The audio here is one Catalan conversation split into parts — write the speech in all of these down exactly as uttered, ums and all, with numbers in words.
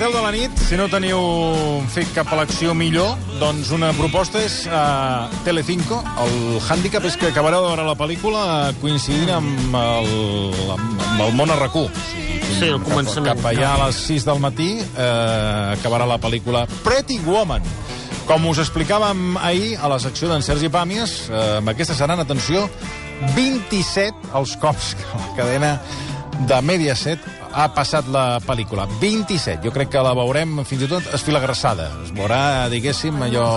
deu de la nit, si no teniu fet cap elecció millor, doncs una proposta és uh, Telecinco. El hàndicap és que acabareu de veure la pel·lícula coincidint amb el, amb el món a RAC u. Sí, el començament. Cap, cap allà a les sis del matí uh, acabarà la pel·lícula Pretty Woman. Com us explicàvem ahir a la secció d'en Sergi Pàmies, uh, amb aquesta seran, atenció, vint-i-set els cops que la cadena de Mediaset ha passat la pel·lícula. vint-i-set. Jo crec que la veurem fins i tot esfilagrassada. Es veurà, diguéssim, allò...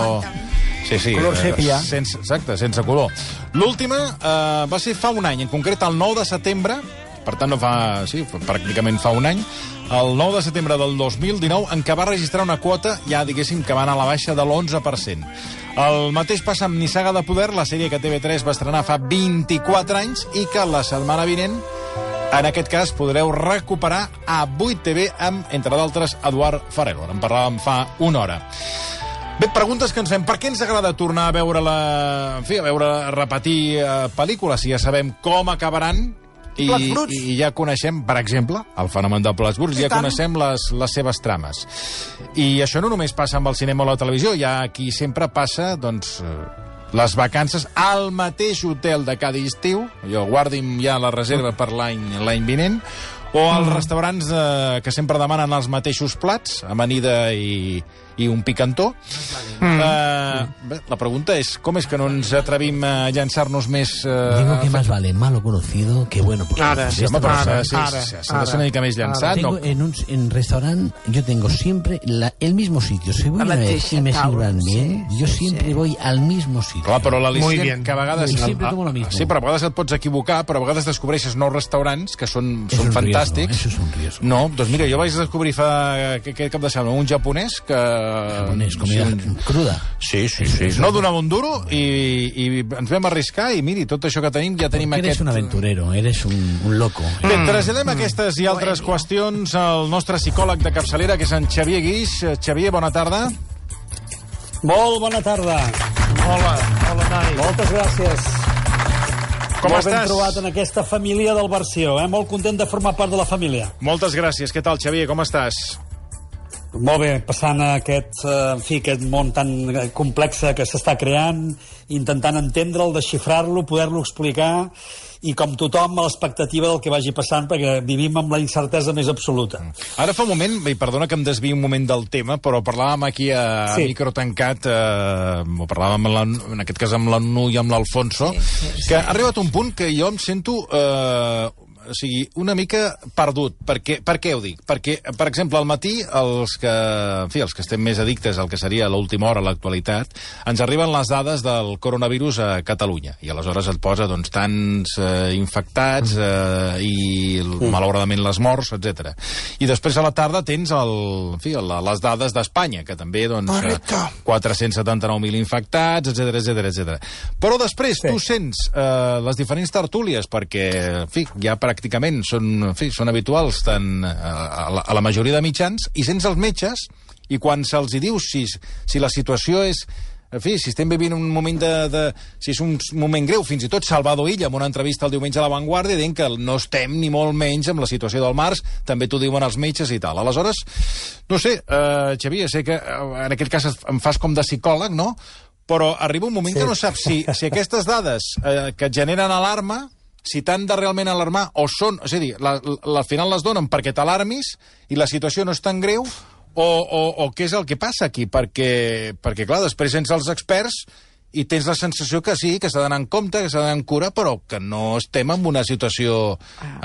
Sí, sí. Color sèpia. Sense, exacte, sense color. L'última eh, va ser fa un any, en concret el nou de setembre, per tant no fa... Sí, pràcticament fa un any, el nou de setembre del dos mil dinou, en què va registrar una quota, ja diguéssim, que va anar a la baixa de l'onze per cent. El mateix passa amb Nissaga de Poder, la sèrie que T V tres va estrenar fa vint-i-quatre anys i que la setmana vinent, en aquest cas, podreu recuperar a vuit T V amb, entre d'altres, Eduard Farelo. En parlàvem fa una hora. Bé, preguntes que ens fem. Per què ens agrada tornar a veure-la... En fi, a veure, a repetir eh, pel·lícules, si ja sabem com acabaran i, i ja coneixem, per exemple, el fenomen de Plats Bruts, ja coneixem les, les seves trames. I això no només passa amb el cinema o la televisió, hi ha qui sempre passa, doncs... les vacances al mateix hotel de cada estiu, jo guardi'm ja la reserva per l'any l'any vinent, o als mm. restaurants eh, que sempre demanen els mateixos plats, amanida i, i un picantó. Mm. Eh, bé, la pregunta és, com és que no ens atrevim a llançar-nos més... Eh, Digo que más vale malo conocido que bueno por Ara, sí, home, però ara, s'ha ara, de ser una mica més llançat. Tengo No? en un en restaurant, yo tengo siempre la, el mismo sitio. Si voy La una vez y me taula, sirvan bien, sí, yo sí, siempre sí. voy al mismo sitio. Clar, però Muy l'al·licient bien. que a vegades... Y siempre tomo lo mismo. Sí, però a vegades et pots equivocar, però a vegades descobreixes nous restaurants que són, Es són un fantàstics. riesgo, eso es un riesgo. No, doncs mira, jo vaig descobrir fa aquest cap de setmana un japonès que... Japonés, comida sí, cruda. Sí, sí, sí. No donava un duro i, i ens vam arriscar i miri, tot això que tenim, ja tenim Porque aquest... eres un aventurero, eres un, un loco. Bé, traslladem aquestes i altres qüestions al nostre psicòleg de capçalera, que és en Xavier Guix. Xavier, bona tarda. Molt bona tarda. Hola, hola, Nai. Moltes gràcies. Com Molt ben estàs? trobat en aquesta família del Versió, eh? Molt content de formar part de la família. Moltes gràcies. Què tal, Xavier? Com estàs? Molt bé, passant aquest, eh, en fi, aquest món tan complex que s'està creant, intentant entendre'l, desxifrar-lo, poder-lo explicar, i com tothom a l'expectativa del que vagi passant, perquè vivim amb la incertesa més absoluta. Ara fa un moment, i perdona que em desviï un moment del tema, però parlàvem aquí a Sí. micro tancat, eh, o parlàvem amb la, en aquest cas amb la Nu i amb l'Alfonso, Sí, sí, sí. que ha arribat un punt que jo em sento... Eh, o sigui, una mica perdut. Per què, per què ho dic? Perquè, per exemple, al matí, els que, en fi, els que estem més addictes al que seria l'última hora, l'actualitat, ens arriben les dades del coronavirus a Catalunya. I aleshores et posa, doncs, tants eh, infectats eh, i, malauradament, les morts, etcètera. I després a la tarda tens el, en fi, la, les dades d'Espanya, que també, doncs, eh, quatre-cents setanta-nou mil infectats, etcètera, etcètera, etcètera. Però després Sí. tu sents eh, les diferents tertúlies, perquè, en fi, ja pràcticament són, en fi, són habituals tant a la, a la majoria de mitjans, i sents els metges, i quan se'ls hi diu si, si la situació és... En fi, si estem vivint un moment de, de... Si és un moment greu, fins i tot Salvador Illa, en una entrevista el diumenge a La Vanguardia, dient que no estem ni molt menys amb la situació del març, també t'ho diuen els metges i tal. Aleshores, no sé, eh, Xavier, sé que eh, en aquest cas em fas com de psicòleg, no? Però arriba un moment sí. que no saps si, si aquestes dades eh, que et generen alarma, si t'han de realment alarmar, o són... És a dir, la, la, al final les donen perquè t'alarmis i la situació no és tan greu, o, o, o què és el que passa aquí? Perquè, perquè clar, després sents els experts i tens la sensació que sí, que s'ha d'anar en compte, que s'ha d'anar en cura, però que no estem en una situació,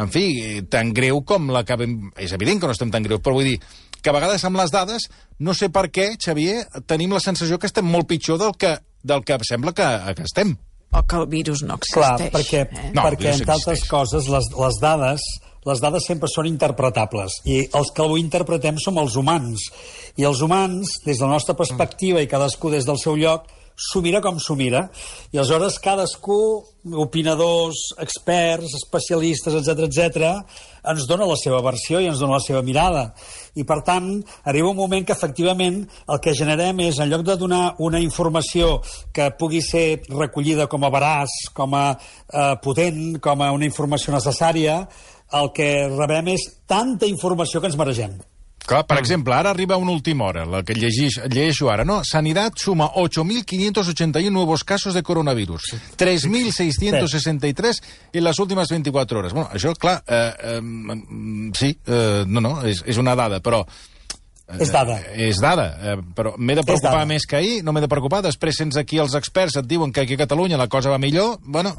en fi, tan greu com la que... És evident que no estem tan greu, però vull dir que a vegades amb les dades, no sé per què, Xavier, tenim la sensació que estem molt pitjor del que, del que sembla que, que estem. O que el virus no Clar, existeix. perquè, eh? No, perquè el virus entre altres existeix. coses, les, les dades les dades sempre són interpretables, i els que ho interpretem som els humans. I els humans, des de la nostra perspectiva, i cadascú des del seu lloc, s'ho mira com s'ho mira. I aleshores cadascú, opinadors, experts, especialistes, etcètera, etcètera, ens dona la seva versió i ens dona la seva mirada. I, per tant, arriba un moment que, efectivament, el que generem és, en lloc de donar una informació que pugui ser recollida com a veraç, com a eh, potent, com a una informació necessària, el que rebem és tanta informació que ens maregem. Clar, per exemple, ara arriba una última hora, la que llegeix, llegeixo ara, no? Sanidad suma ocho mil quinientos ochenta y uno nuevos casos de coronavirus, tres mil seiscientos sesenta y tres en las últimas veinticuatro horas. Bueno, això, clar, eh, eh, sí, eh, no, no, és, és una dada, però... Eh, és dada. Eh, és dada, eh, però m'he de preocupar més que ahir, no m'he de preocupar, després sents aquí els experts, et diuen que aquí a Catalunya la cosa va millor, bueno,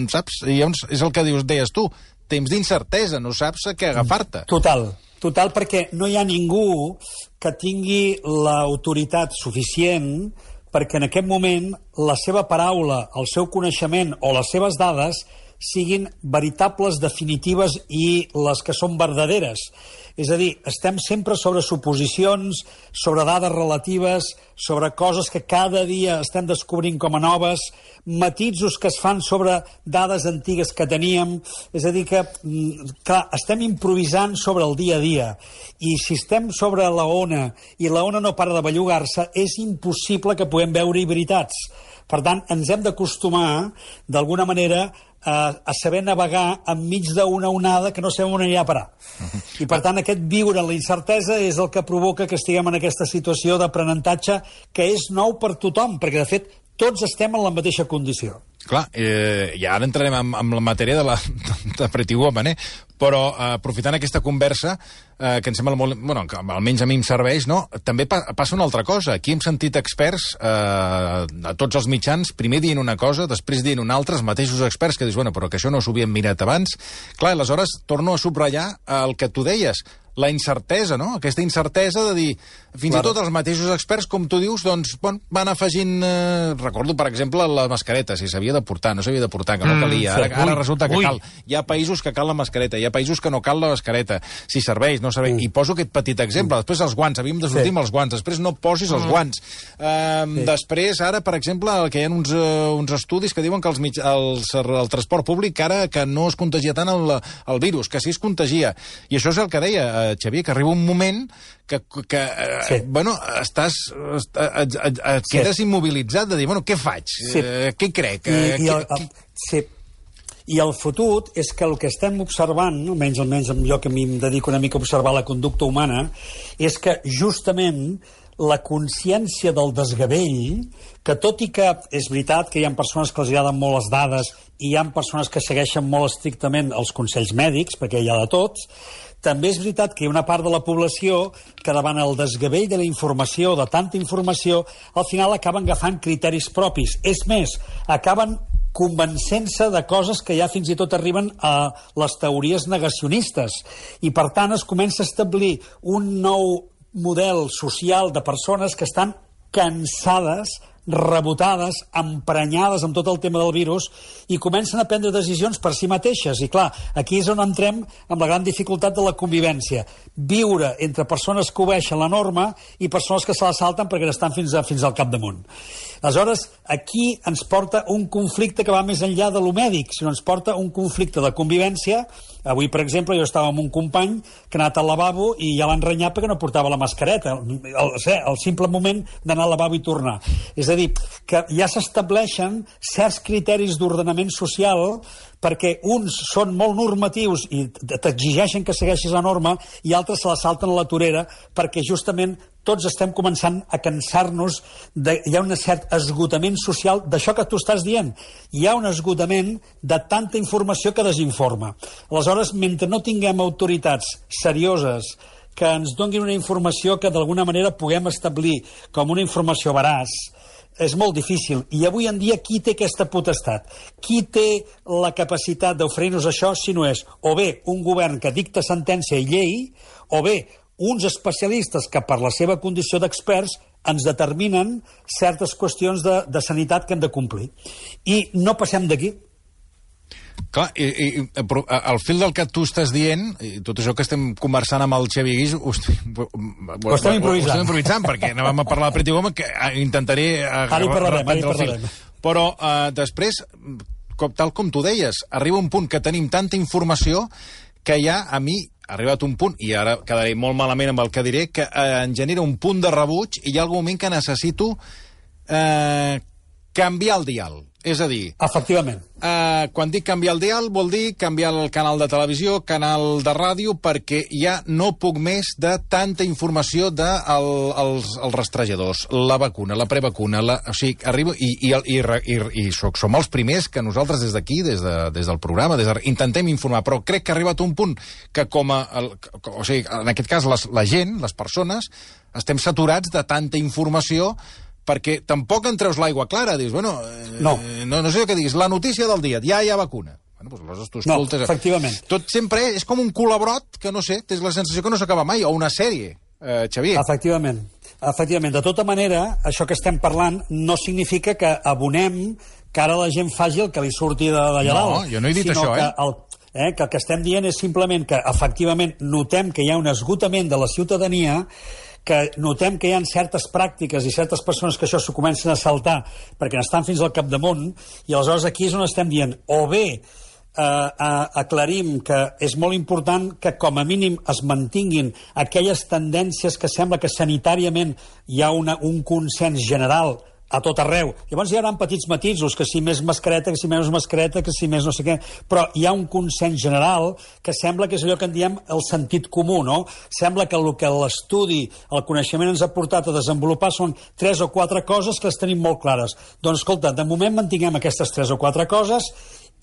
saps, llavors és el que dius, deies tu, temps d'incertesa, no saps a què agafar-te. Total. Total, perquè no hi ha ningú que tingui l'autoritat suficient perquè en aquest moment la seva paraula, el seu coneixement o les seves dades siguin veritables, definitives i les que són verdaderes. És a dir, estem sempre sobre suposicions, sobre dades relatives, sobre coses que cada dia estem descobrint com a noves, matisos que es fan sobre dades antigues que teníem. És a dir, que, clar, estem improvisant sobre el dia a dia. I si estem sobre la ona i la ona no para de bellugar-se, és impossible que puguem veure-hi veritats. Per tant, ens hem d'acostumar, d'alguna manera, a, a saber navegar enmig d'una onada que no sabem on anirà a parar. I, per tant, aquest viure en la incertesa és el que provoca que estiguem en aquesta situació d'aprenentatge que és nou per tothom, perquè, de fet, tots estem en la mateixa condició. Clar, eh, i ara entrarem en, en la matèria de, la, de Pretty Woman, eh? Però eh, aprofitant aquesta conversa, eh, que em sembla molt... Bueno, que almenys a mi em serveix, no? També pa passa una altra cosa. Aquí hem sentit experts eh, a tots els mitjans, primer dient una cosa, després dient una altra, els mateixos experts que dius, bueno, però que això no s'ho havien mirat abans. Clar, aleshores torno a subratllar el que tu deies, la incertesa, no? Aquesta incertesa de dir, fins claro. I tot els mateixos experts, com tu dius, doncs, bon, van afegint... Eh, recordo, per exemple, la mascareta, si s'havia de portar, no s'havia de portar, que no calia. Ara, ara resulta que ui. cal. Hi ha països que cal la mascareta, hi ha països que no cal la mascareta. Si serveix, no serveix. Mm. I poso aquest petit exemple. Després els guants, havíem de sortir sí. amb els guants. Després no posis els guants. Eh, sí. Després, ara, per exemple, que hi ha uns, uh, uns estudis que diuen que els mig, els, el transport públic ara que no es contagia tant el, el virus, que sí es contagia. I això és el que deia Xavier, que arriba un moment que, que sí. eh, bueno, estàs, et, et, et, et sí. quedes immobilitzat de dir, bueno, què faig? Sí. Eh, què crec? I, eh, i el, què, el, sí. I el fotut és que el que estem observant, almenys, almenys jo que em dedico una mica a observar la conducta humana, és que justament la consciència del desgavell, que tot i que és veritat que hi ha persones que els agraden molt les dades i hi ha persones que segueixen molt estrictament els consells mèdics, perquè hi ha de tots, també és veritat que hi ha una part de la població que davant el desgavell de la informació, de tanta informació, al final acaben agafant criteris propis. És més, acaben convencent-se de coses que ja fins i tot arriben a les teories negacionistes. I, per tant, es comença a establir un nou model social de persones que estan cansades, rebotades, emprenyades amb tot el tema del virus i comencen a prendre decisions per si mateixes. I clar, aquí és on entrem amb la gran dificultat de la convivència. Viure entre persones que obeixen la norma i persones que se la salten perquè estan fins, a, fins al capdamunt. Aleshores, aquí ens porta un conflicte que va més enllà de lo mèdic, sinó ens porta un conflicte de convivència. Avui, per exemple, jo estava amb un company que ha anat al lavabo i ja l'han renyat perquè no portava la mascareta. El, el, el simple moment d'anar al lavabo i tornar. És a dir, que ja s'estableixen certs criteris d'ordenament social perquè uns són molt normatius i t'exigeixen que segueixis la norma i altres se la salten a la torera perquè justament tots estem començant a cansar-nos de, hi ha un cert esgotament social d'això que tu estàs dient. Hi ha un esgotament de tanta informació que desinforma. Aleshores, mentre no tinguem autoritats serioses que ens donin una informació que d'alguna manera puguem establir com una informació veraç, és molt difícil. I avui en dia qui té aquesta potestat? Qui té la capacitat d'oferir-nos això si no és o bé un govern que dicta sentència i llei o bé uns especialistes que per la seva condició d'experts ens determinen certes qüestions de, de sanitat que hem de complir. I no passem d'aquí. Clar, i, i, però al fil del que tu estàs dient, i tot això que estem conversant amb el Xavi Guix, ho, ho, ho estem improvisant. Ho estem improvisant, perquè anàvem a parlar de Pretty Woman, que intentaré... Ara hi parlarem, ara hi parlarem. Però uh, després, com, tal com tu deies, arriba un punt que tenim tanta informació que ja a mi ha arribat un punt, i ara quedaré molt malament amb el que diré, que eh, em genera un punt de rebuig i hi ha algun moment que necessito eh, canviar el dial. És a dir... Efectivament. Uh, quan dic canviar el dial, vol dir canviar el canal de televisió, canal de ràdio, perquè ja no puc més de tanta informació de el, els, els rastrejadors, la vacuna, la prevacuna, la, o sigui, arribo... I, i, i, i, i soc, som els primers que nosaltres des d'aquí, des, de, des del programa, des de, intentem informar, però crec que ha arribat un punt que com a... El, o sigui, en aquest cas, les, la gent, les persones, estem saturats de tanta informació perquè tampoc en treus l'aigua clara. Dius, bueno, eh, no. no, no sé què diguis, la notícia del dia, ja hi ha vacuna. Bueno, doncs aleshores tu escoltes... No, efectivament. Tot sempre és com un colabrot que, no sé, tens la sensació que no s'acaba mai, o una sèrie, eh, Xavier. Efectivament. Efectivament. De tota manera, això que estem parlant no significa que abonem que ara la gent faci el que li surti d'allà dalt. No, jo no he dit això, eh? El, eh? Que el que estem dient és simplement que, efectivament, notem que hi ha un esgotament de la ciutadania, que notem que hi ha certes pràctiques i certes persones que això s'ho comencen a saltar perquè n'estan fins al capdamunt, i aleshores aquí és on estem dient, o bé eh, eh, aclarim que és molt important que com a mínim es mantinguin aquelles tendències que sembla que sanitàriament hi ha una, un consens general a tot arreu. Llavors hi haurà petits matisos, que si més mascareta, que si menys mascareta, que si més no sé què, però hi ha un consens general que sembla que és allò que en diem el sentit comú, no? Sembla que el que l'estudi, el coneixement ens ha portat a desenvolupar són tres o quatre coses que les tenim molt clares. Doncs, escolta, de moment mantinguem aquestes tres o quatre coses,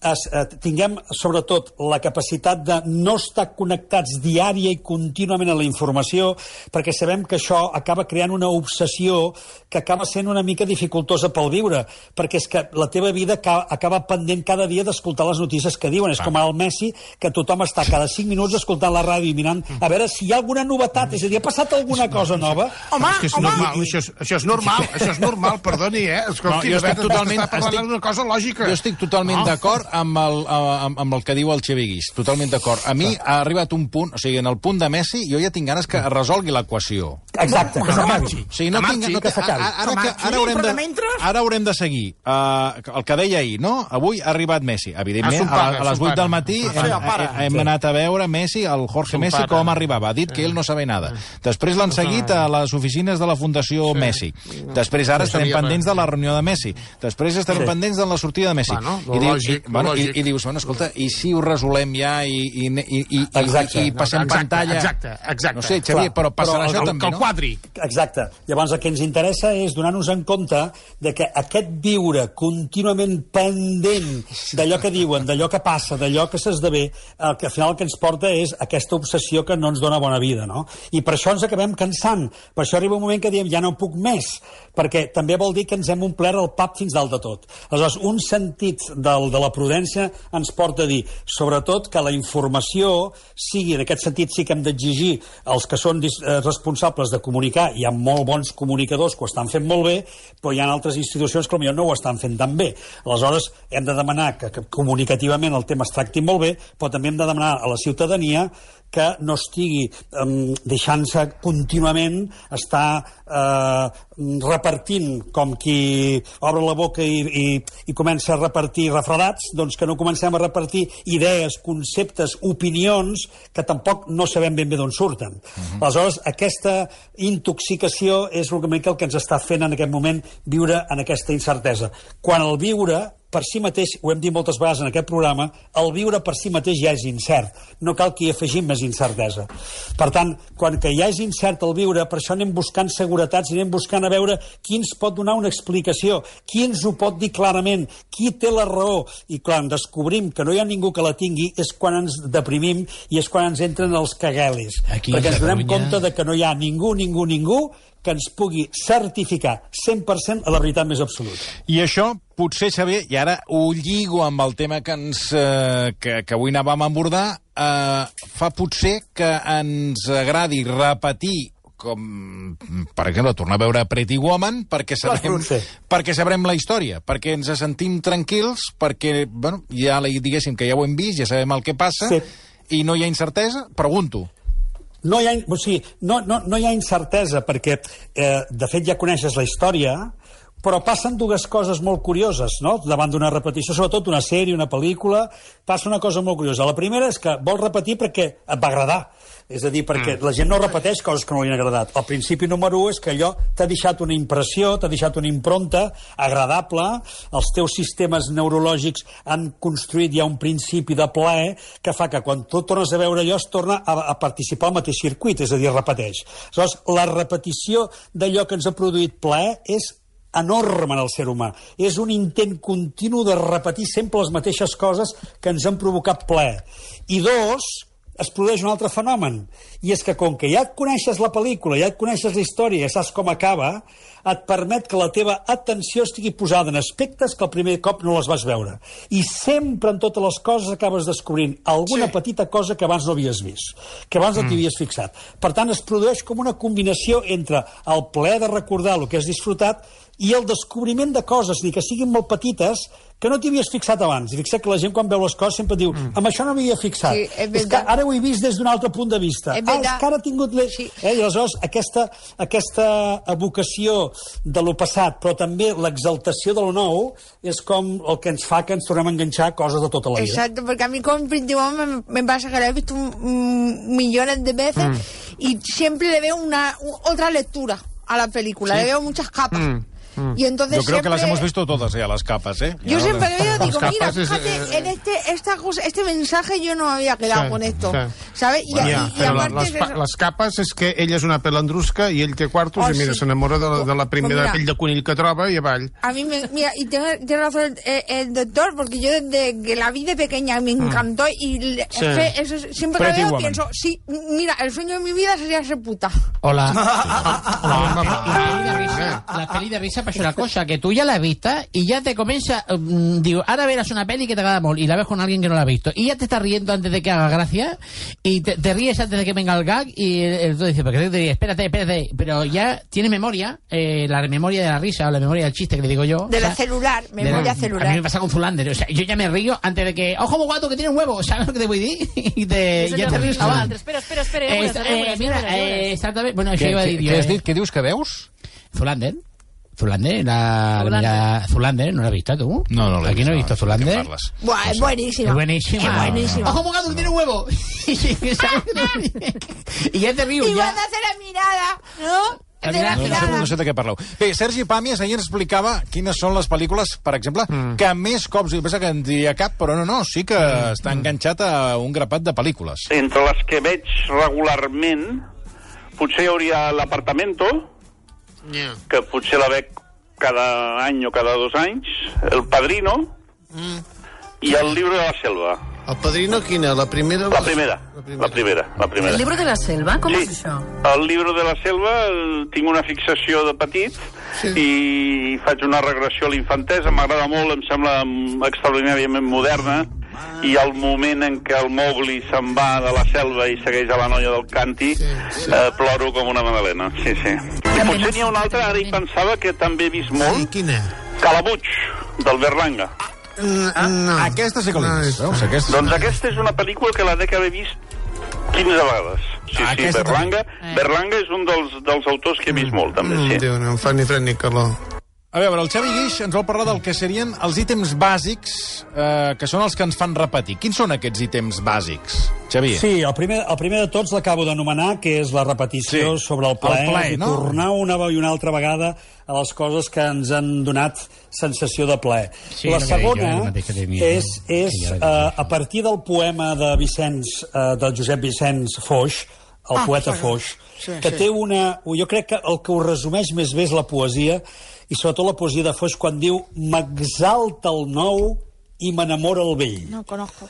es, eh, tinguem, sobretot, la capacitat de no estar connectats diària i contínuament a la informació, perquè sabem que això acaba creant una obsessió que acaba sent una mica dificultosa pel viure, perquè és que la teva vida acaba, acaba pendent cada dia d'escoltar les notícies que diuen. És com el Messi, que tothom està cada cinc minuts escoltant la ràdio i mirant a veure si hi ha alguna novetat, és a dir, ha passat alguna cosa nova. Home, és que és home, normal, això és, això és normal, això és normal, perdoni, eh? Escolti, No, jo estic totalment- està parlant estic- d'una cosa lògica. Jo estic totalment No. d'acord amb, el, amb, amb el que diu el Xavier Guix. Totalment d'acord. A mi ha arribat un punt, o sigui, en el punt de Messi, jo ja tinc ganes que es resolgui l'equació. Exacte, que s'acabi. O sigui, no Que tinc, marxi, no, que tinc- s'acabi. ara, ara, Que que, marxi, ara, haurem però de, de mentre- ara haurem de seguir. Uh, el que deia ahir, no? Avui ha arribat Messi. Evidentment, A son a, pare, a a les son vuit pare. del matí Sí, hem, el pare. hem Sí. anat a veure Messi, el Jorge Son Messi, pare. com arribava. Ha dit que ell no sabia nada. Després l'han seguit a les oficines de la Fundació Messi. Després ara No estarem sabia pendents res. de la reunió de Messi. Després estarem Sí. pendents de la sortida de Messi. Bueno, lo I, diu, lògic, i, bueno, lo i, lògic. i dius, bueno, escolta, i si ho resolem ja i, i, i, i, Exacte. i, i passem Exacte, pantalla... exacte, exacte. No sé, Xavier, Clar, però passarà però això el- també, Que el no? quadri. Exacte. Llavors el que ens interessa és donar-nos en compte de que aquest viure contínuament pendent d'allò que diuen, d'allò que passa, d'allò que s'esdevé, el que al final el que ens porta és aquesta obsessió que no ens dona bona vida, no? I per això ens acabem cansant. Per això arriba un moment que diem ja no puc més, perquè també vol dir que ens hem omplert el pap fins dalt de tot. Aleshores, un sentit del, de la prudència ens porta a dir, sobretot, que la informació sigui, en aquest sentit sí que hem d'exigir als que són eh, responsables de comunicar. Hi ha molt bons comunicadors que ho estan fent molt bé, però hi ha altres institucions que potser no ho estan fent tan bé. Aleshores, hem de demanar que, que comunicativament el tema es tracti molt bé, però també hem de demanar a la ciutadania que no estigui eh, deixant-se contínuament estar eh, repartint com qui obre la boca i, i, i comença a repartir refredats, doncs que no comencem a repartir idees, conceptes, opinions que tampoc no sabem ben bé d'on surten. Uh-huh. Aleshores, aquesta intoxicació és una mica el que ens està fent en aquest moment viure en aquesta incertesa. Quan el viure per si mateix, ho hem dit moltes vegades en aquest programa, el viure per si mateix ja és incert. No cal que hi afegim més incertesa. Per tant, quan que ja és incert el viure, per això anem buscant seguretats i anem buscant a veure qui ens pot donar una explicació, qui ens ho pot dir clarament, qui té la raó. I quan descobrim que no hi ha ningú que la tingui, és quan ens deprimim i és quan ens entren els caguelis. Aquí perquè a ens donem Catalunya- compte de que no hi ha ningú, ningú, ningú que ens pugui certificar cent per cent a la veritat més absoluta. I això, potser, Xavier, i ara ho lligo amb el tema que, ens, eh, que, que avui anàvem a abordar, eh, fa potser que ens agradi repetir com, per exemple, tornar a veure Pretty Woman perquè sabrem, Sí. perquè sabrem la història, perquè ens sentim tranquils, perquè, bueno, ja diguéssim que ja ho hem vist, ja sabem el que passa, Sí. i no hi ha incertesa? Pregunto. No hi ha, o sigui, no, no, no hi ha incertesa perquè, eh, de fet, ja coneixes la història. però passen dues coses molt curioses, no? Davant d'una repetició, sobretot una sèrie, una pel·lícula, passa una cosa molt curiosa. La primera és que vols repetir perquè et va agradar. És a dir, perquè la gent no repeteix coses que no li han agradat. El principi número u és que allò t'ha deixat una impressió, t'ha deixat una impronta agradable, els teus sistemes neurològics han construït ja un principi de plaer que fa que quan tu tornes a veure allò es torna a, a participar al mateix circuit, és a dir, repeteix. Aleshores, la repetició d'allò que ens ha produït plaer és enorme en el ser humà. És un intent continu de repetir sempre les mateixes coses que ens han provocat plaer. I dos, es produeix un altre fenomen, i és que com que ja et coneixes la pel·lícula, ja et coneixes la història, ja saps com acaba, et permet que la teva atenció estigui posada en aspectes que el primer cop no les vas veure. I sempre en totes les coses acabes descobrint alguna sí. petita cosa que abans no havies vist, que abans no t'hi havies fixat. Per tant, es produeix com una combinació entre el plaer de recordar el que has disfrutat i el descobriment de coses, dir que siguin molt petites, que no t'hi havies fixat abans. I fixa't que la gent quan veu les coses sempre diu mm. amb això no m'havia fixat. Sí, és, és que ara ho he vist des d'un altre punt de vista. Ah, és que ara he tingut... Le... Sí. Eh? I aleshores aquesta, aquesta evocació de lo passat, però també l'exaltació de lo nou, és com el que ens fa que ens tornem a enganxar coses de tota la vida. Exacto, porque a mí como principalmente me, me pasa que lo he visto un, millones de veces mm. y siempre le veo una, otra lectura a la película, ¿sí? Le veo muchas capas. Mm. Mm. Y entonces yo creo siempre... que las hemos visto todas ya, las capas, ¿eh? Yo ya siempre no... veo, digo, mira, es, fíjate, eh, en este, esta cosa, este mensaje yo no me había quedado sí, con esto, sí. ¿sabes? Y, bueno, y, ja, y però aparte les, es les capes és que ella és una pelandrusca i ell té quartos oh, i mira, sí. s'enamora de, la, de la primera pues mira, pell de conill que troba i avall. A mí me, mira, y tiene, tiene razón el, el doctor, porque yo desde que la vi de pequeña me encantó mm. y le, sí. es que eso, siempre que Pretty veo Woman. pienso, sí, mira, el sueño de mi vida sería ser puta. Hola. Hola. La peli de risa, pero es una cosa, que tú ya la has visto y ya te comienza, um, digo, ahora verás una peli que te agrada molt y la ves con alguien que no la ha visto y ya te estás riendo antes de que haga gracia y te, te ríes antes de que venga el gag y el, el otro dice, ¿por qué te ríes? Espérate, espérate, pero ya tienes memoria, eh, la memoria de la risa o la memoria del chiste que le digo yo. De o sea, la celular, memoria la, celular. A mí me pasa con Zulander, o sea, yo ya me río antes de que, ojo, guato, que tiene un huevo, ¿sabes lo que te voy a decir? Y te, ya te ríes. Ah, espera, espera, espera. Eh, eh, mira, eh, exactament. Bueno, això Què, iba a què, dir què jo. has dit? Què dius que veus? Zulander. Zulander, la, Zulander. la Zulander, ¿no la has visto tú? No, no l'he Aquí vist. no he visto ¿De qué Zulander. parles? Buah, es buenísima. Es buenísima. Es buenísima. Ojo, bocado, que tiene un huevo. Y ya te río, Y ya. cuando hace la mirada, ¿no? La De la mirada. No, no, sé, mirada. no sé de què parleu. Bé, Sergi Pàmies ahir ens explicava quines són les pel·lícules, per exemple, mm. que més cops, jo penso que en diria cap, però no, no, sí que mm. està enganxat a un grapat de pel·lícules. Entre les que veig regularment, potser hi hauria l'Apartamento, Yeah. que potser la veig cada any o cada dos anys, El Padrino Mm. i El Libro de la Selva. El Padrino, quina? La primera? La primera, la primera, la primera. El libro de la selva? Com Sí, és això? El Libro de la Selva eh, tinc una fixació de petit Sí. i faig una regressió a l'infantesa, m'agrada molt, em sembla extraordinàriament moderna, i el moment en què el Mowgli se'n va de la selva i segueix a la noia del Canti, Sí, sí. Eh, ploro com una magdalena, sí, sí. I potser n'hi ha una altra, ara hi pensava, que també he vist Sí, molt, quina? Calabuig, del Berlanga. Ah, no. Aquesta sí que l'he No, vist, és- veus? Aquesta... Doncs aquesta és una pel·lícula que la dec haver vist quinze vegades. Sí, Ah, sí, aquesta Berlanga. també. Berlanga és un dels, dels autors que he vist molt, també, Mm, sí. Déu, no em fa ni fred ni calor. A veure, el Xavi Guix ens vol parlar del que serien els ítems bàsics, eh, que són els que ens fan repetir. Quins són aquests ítems bàsics, Xavi? Sí, el primer, el primer de tots l'acabo d'anomenar, que és la repetició Sí. sobre el plaer, El plaer, i no? tornar una i una altra vegada a les coses que ens han donat sensació de plaer. Sí, la el que dic jo, el segona mateix que tenia, és, no? és Que ja uh, vaig dir. a partir del poema de Vicenç, uh, del Josep Vicenç Foix, el Ah, poeta sí. Foix, Sí, que sí. té una... Jo crec que el que ho resumeix més bé és la poesia, i sobretot la poesia de Foix quan diu «M'exalta el nou i m'enamora el vell». No conozco.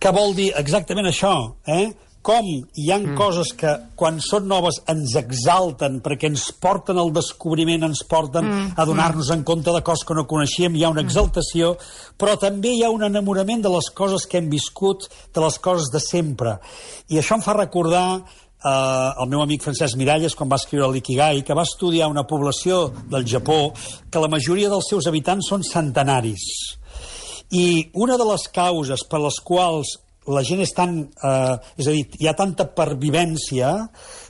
Què vol dir exactament això? Eh? Com hi ha mm. coses que, quan són noves, ens exalten perquè ens porten al descobriment, ens porten mm. a donar-nos en compte de coses que no coneixíem, hi ha una exaltació, però també hi ha un enamorament de les coses que hem viscut, de les coses de sempre. I això em fa recordar eh, el meu amic Francesc Miralles, quan va escriure l'Ikigai, que va estudiar una població del Japó que la majoria dels seus habitants són centenaris. I una de les causes per les quals la gent és tan... Eh, és a dir, hi ha tanta pervivència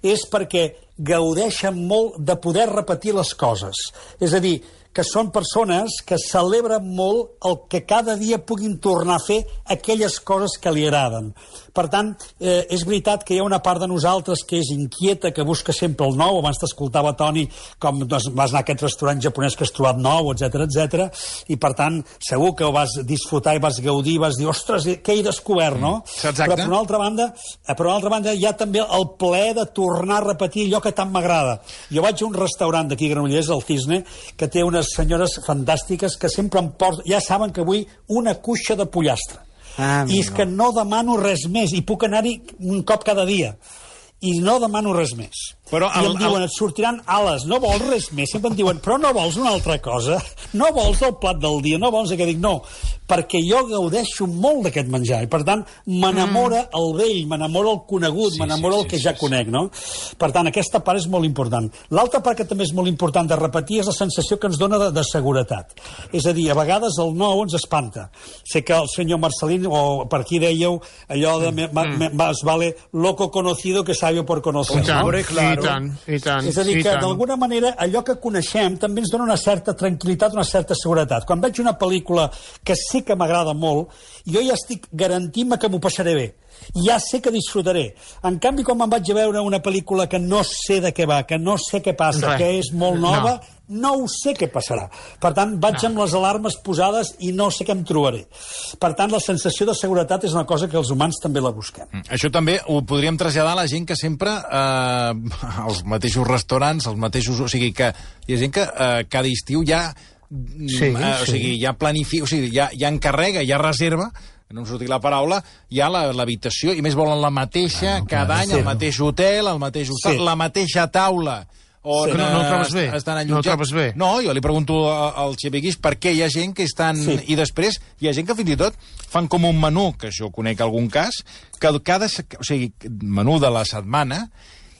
és perquè gaudeixen molt de poder repetir les coses. És a dir, que són persones que celebren molt el que cada dia puguin tornar a fer aquelles coses que li agraden. Per tant, eh, és veritat que hi ha una part de nosaltres que és inquieta, que busca sempre el nou. Abans t'escoltava, Toni, com vas anar a aquest restaurant japonès que has trobat nou, etcètera, etcètera, i per tant, segur que ho vas disfrutar i vas gaudir, vas dir, ostres, què he descobert, no? Exacte. Però per una altra banda, per una altra banda hi ha també el plaer de tornar a repetir allò que tant m'agrada. Jo vaig a un restaurant d'aquí a Granollers, el Cisne, que té unes senyores fantàstiques que sempre em porten, ja saben que vull una cuixa de pollastre. Ah, I és no. que no demano res més, i puc anar-hi un cop cada dia. I no demano res més. Però el, I em diuen, el... et sortiran ales, no vols res més. Sempre em diuen, però no vols una altra cosa? No vols el plat del dia? No vols? Que dic, no, perquè jo gaudeixo molt d'aquest menjar. I, per tant, m'enamora mm. el vell, m'enamora el conegut, sí, m'enamora sí, el que sí, ja sí, conec, no? Per tant, aquesta part és molt important. L'altra part que també és molt important de repetir és la sensació que ens dona de, de seguretat. És a dir, a vegades el nou ens espanta. Sé que el senyor Marcelín, o per aquí dèieu, allò de mm. me, me, más vale loco conocido que sabio por conocer. I tant, no? Claro. I tant, i tant. És a dir, que d'alguna manera allò que coneixem també ens dona una certa tranquil·litat, una certa seguretat. Quan veig una pel·lícula que sé que m'agrada molt, jo ja estic garantint-me que m'ho passaré bé. Ja sé que disfrutaré. En canvi, quan me'n vaig a veure una pel·lícula que no sé de què va, que no sé què passa, Res. que és molt nova, no. no ho sé què passarà. Per tant, vaig no. amb les alarmes posades i no sé què em trobaré. Per tant, la sensació de seguretat és una cosa que els humans també la busquem. Mm. Això també ho podríem traslladar a la gent que sempre, eh, als mateixos restaurants, als mateixos... O sigui, que hi ha gent que eh, cada estiu ja... Sí, eh, o sigui, sí. ja planifica, o sigui, ja, ja encarrega, ja reserva, no em surti la paraula, hi ha l'habitació, i més volen la mateixa, ah, no, cada any, sí, el mateix hotel, el mateix hostal, sí. la mateixa taula. O sí. no, no ho trobes bé? No ho trobes bé? No, jo li pregunto al Xeviquis per què hi ha gent que estan... Sí. I després hi ha gent que fins i tot fan com un menú, que això conec algun cas, que cada... O sigui, menú de la setmana,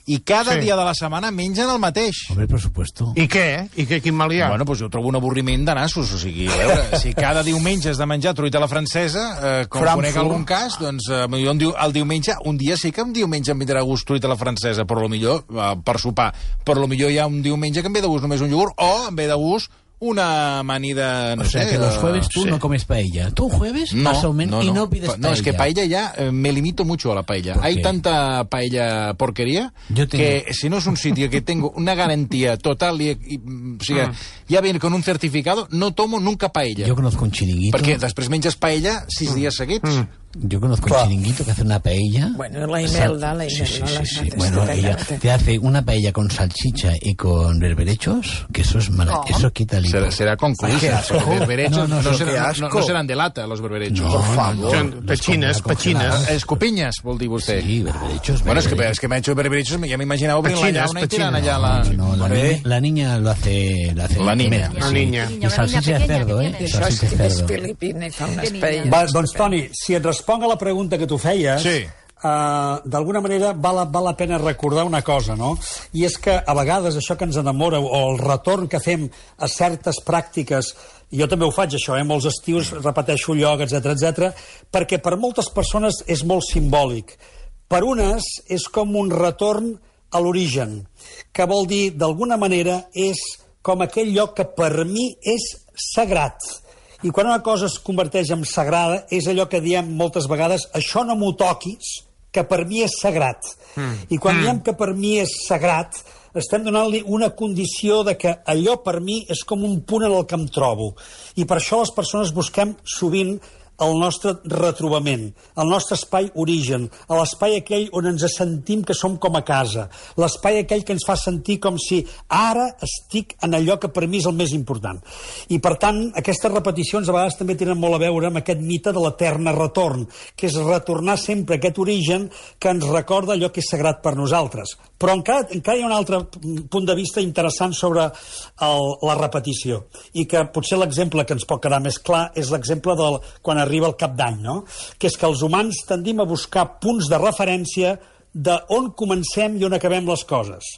i cada sí. dia de la setmana mengen el mateix. Hombre, per supuesto. I què? I què, quin mal hi ha? Bueno, doncs jo trobo un avorriment de nassos, o sigui, a veure, si cada diumenge has de menjar truita a la francesa, eh, com Frankfurt. Conec algun cas, doncs eh, jo el diumenge, un dia sí que un diumenge em vindrà a gust truita a la francesa, però millor eh, per sopar, però millor hi ha un diumenge que em ve de gust només un iogurt, o em ve de gust una amanida, no o sea, sé... que los jueves tú sí. no comes paella. Tú jueves no, más o menos no, no. y no pides paella. No, es que paella ya eh, me limito mucho a la paella. Hay tanta paella porquería tengo... que si no es un sitio que tengo una garantía total y, y o sigui, mm. ya viene con un certificado, no tomo nunca paella. Yo conozco un chiringuito... Perquè després menges paella sis mm. dies seguits. Mm. Yo conozco Claro. un chiringuito que hace una paella. Bueno, la Imelda, la Imelda. Sí, sí, sí, sí. Bueno, ella te hace una paella con salchicha y con berberechos, que eso es maravilloso. Oh. Eso quita el hipo. Será, será con cruces. Los berberechos no, no, no, serán, no, no serán de lata, los berberechos. No, por favor. No, pechines, pechines. Escopinyes, vol dir vostè. Sí, berberechos. Bueno, es que, es que me ha hecho berberechos, ya me imaginaba obrint la llauna y tiran allá la... No, la, niña, la niña lo hace... Lo hace la niña. Sí. La niña. Y salchicha de cerdo, eh? Això és filipina i fa unes paelles. Va, doncs, Toni, si et responc a la pregunta que tu feies, sí. uh, d'alguna manera val, val la pena recordar una cosa, no? I és que a vegades això que ens enamora o el retorn que fem a certes pràctiques, i jo també ho faig això, eh? Molts estius repeteixo lloc, etcètera, etcètera, perquè per moltes persones és molt simbòlic. Per unes és com un retorn a l'origen, que vol dir, d'alguna manera, és com aquell lloc que per mi és sagrat. I quan una cosa es converteix en sagrada, és allò que diem moltes vegades, això no m'ho toquis, que per mi és sagrat. Mm. I quan mm. diem que per mi és sagrat, estem donant-li una condició de que allò per mi és com un punt en el que em trobo. I per això les persones busquem sovint el nostre retrobament, el nostre espai origen, l'espai aquell on ens sentim que som com a casa, l'espai aquell que ens fa sentir com si ara estic en allò que per mi és el més important. I, per tant, aquestes repeticions a vegades també tenen molt a veure amb aquest mite de l'etern retorn, que és retornar sempre a aquest origen que ens recorda allò que és sagrat per nosaltres. Però encara, encara hi ha un altre punt de vista interessant sobre el, la repetició, i que potser l'exemple que ens pot quedar més clar és l'exemple de quan arriba el cap d'any, no? Que és que els humans tendim a buscar punts de referència de on comencem i on acabem les coses.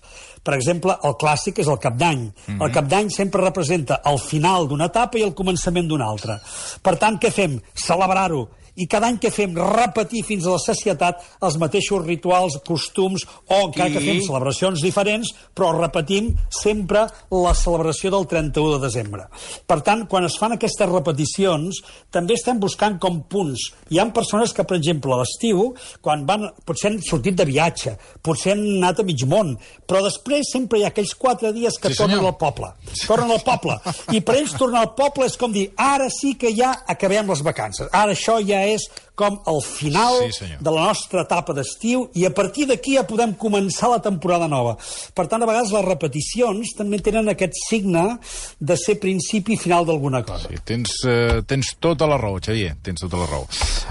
Per exemple, el clàssic és el cap d'any. Mm-hmm. El cap d'any sempre representa el final d'una etapa i el començament d'una altra. Per tant, què fem? Celebrar-ho. i cada any que fem repetir fins a la sacietat els mateixos rituals, costums, o encara que fem celebracions diferents, però repetim sempre la celebració del trenta-u de desembre. Per tant, quan es fan aquestes repeticions, també estem buscant com punts. Hi ha persones que, per exemple, a l'estiu, quan van, potser han sortit de viatge, potser han anat a mig món, però després sempre hi ha aquells quatre dies que Sí, tornen senyor. al poble. Tornen al poble. I per ells tornar al poble és com dir, ara sí que ja acabem les vacances. Ara això ja és com el final Sí, senyor. de la nostra etapa d'estiu i a partir d'aquí ja podem començar la temporada nova. Per tant, a vegades les repeticions també tenen aquest signe de ser principi i final d'alguna cosa. Sí, tens, uh, tens tota la raó, Xavier, tens tota la raó.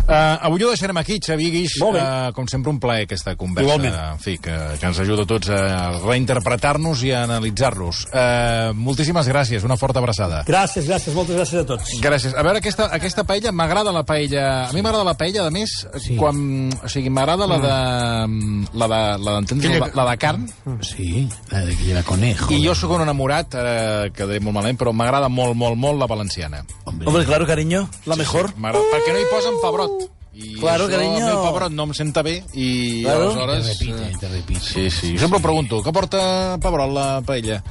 Uh, avui ho deixarem aquí, Xavier Guix. Molt bé. Uh, com sempre, un plaer aquesta conversa. Igualment. En fi, que, que ens ajuda a tots a reinterpretar-nos i a analitzar-los. Uh, moltíssimes gràcies, una forta abraçada. Gràcies, gràcies, moltes gràcies a tots. Gràcies. A veure, aquesta, aquesta paella, m'agrada la paella... A mi m'agrada la paella, a més, sí. quan... O sigui, m'agrada la de... La de... La, d'entendre, la, la de carn. Sí, la de que lleva conejo. I jo sóc un enamorat, ara quedaré molt malament, però m'agrada molt, molt, molt la valenciana. Hombre, Hombre, claro, cariño, la mejor. Sí, m'agrada, perquè no hi posen pebrot. I Claro, això, cariño. a mi el pebrot no em senta bé i Claro. te aleshores... repite, te repite. Sí, sí. Jo sempre em pregunto, què porta pebrot la paella?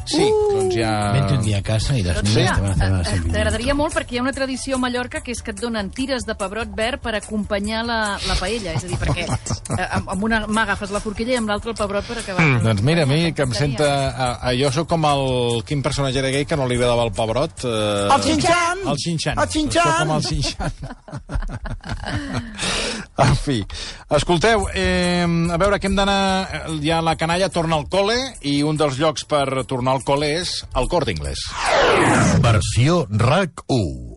Sí, doncs ja... Vente un día a casa y las niñas te van a hacer una servilleta. T'agradaria molt perquè hi ha una tradició a Mallorca que és que et donen tires de pebrot verd per acompanyar la, la paella. És a dir, perquè eh, amb amb una mà agafes la forquilla i amb l'altra el pebrot per acabar. Mm. Doncs mira, a mi, que em senta... A, a, jo sóc com el... Quin personatge era gay que no li agradava el pebrot? Eh... El Xinxan! El Xinxan. El Xinxan! Sóc com el Xinxan. En fi. Escolteu, eh, a veure, que hem d'anar... Ja la canalla torna al col·le i un dels llocs per tornar al col·le és el Corte Inglés. Versió R A C u.